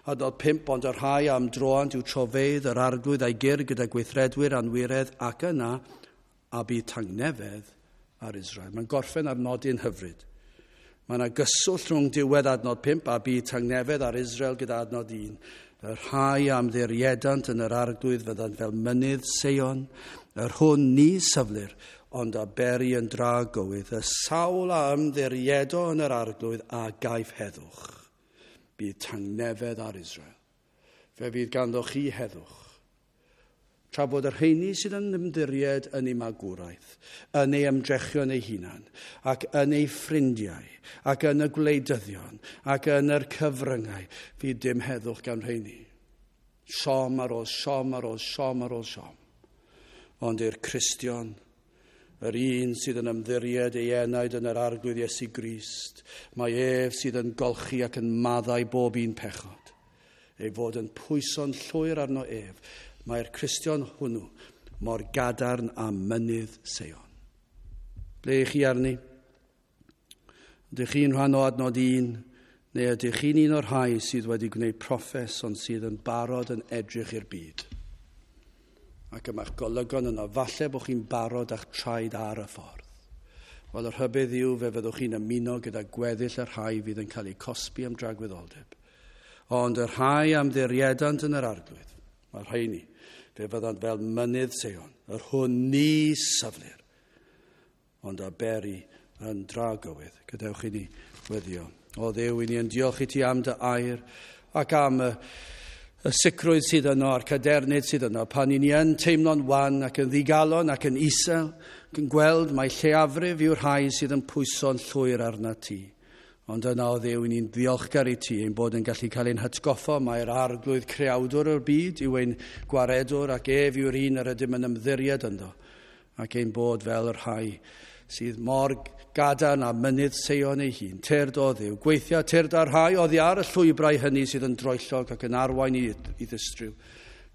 Adnod pump, ond y rhai am droant yw trofeydd yr arglwydd a'i gyr gyda gweithredwyr anwiredd ac yna a bydd tangnefedd ar Israel. Mae'n gorffen ar nodyn hyfryd. Mae yna gyswllt rhwng diwedd adnod pump a bydd tangnefedd ar Israel gyda adnod un. Y rhai am ddiriedant yn yr arglwydd fyddant fel mynydd Seion, yr hwn ni syflir, ond a beri yn dragywydd. Y sawl a ymddiriedo yn yr arglwydd a gaiff heddwch. Bydd tangnefedd ar Israel. Fe fydd ganddo chi heddwch. Tra bod y rheini sydd yn ymddiried yn ei magwraeth, yn ei ymdrechion ei hunan, ac yn ei ffrindiau, ac yn y gwleidyddion, ac yn yr cyfryngau, fydd dim heddwch gan rheini. Siom ar ôl siom ar ôl siom ar ôl siom. Ond i'r Cristion, yr un sydd yn ymddiried ei enaid yn yr arglwydd Iesu Grist, mae ef sydd yn golchi ac yn maddau bob un pechod. Ei fod yn pwyso'n llwyr arno ef, mae'r Cristion hwnnw mor gadarn a mynydd Seion. Ble ych chi arni? Ydych chi'n rhan o adnod un, neu ydych chi'n un o'r rhai sydd wedi gwneud proffes ond sydd yn barod yn edrych i'r byd? Ac yma'ch golygon yno, falle bod chi'n barod a'ch traed ar y ffordd. Wel, y rhybudd yw fe fyddwch chi'n ymuno gyda gweddill y rhai fydd yn cael eu cosbi am dragwyddoldeb. Ond y rhai am ddiriedant yn yr arglwydd, mae'r rheini, fe fyddant fel mynydd Seion, yr hwn ni syflir, ond a beri yn dragywydd. Gadewch i ni weddio. O Dduw, i ni yn diolch i ti am dy air ac am y, y sicrwydd sydd yno a'r cadernid sydd yno. Pan i ni yn teimlo'n wan ac yn ddigalon ac yn isel, ac yn gweld mai lleiafrif yw'r rhai sydd yn pwyso'n llwyr arna ti. Ond yna o Dduw, i ni'n ddiolchgar i ti ein bod yn gallu cael ein hatgoffa mai'r arglwydd creawdwr o'r byd yw ein gwaredwr ac ef yw'r un yr ydym yn ymddiried ynddo, ac ein bod fel y rhai sydd mor gadarn a mynydd Seion ei hun. Tyrd o Dduw, gweithia tyrd ar rhai oddi ar y llwybrau hynny sydd yn droellog ac yn arwain i, i ddistryw,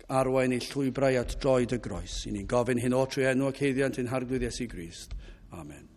arwain i llwybrau at droed y groes. I ni'n gofyn hyn o trwy enw ac haeddiant ein harglwydd Iesu Grist. Amen.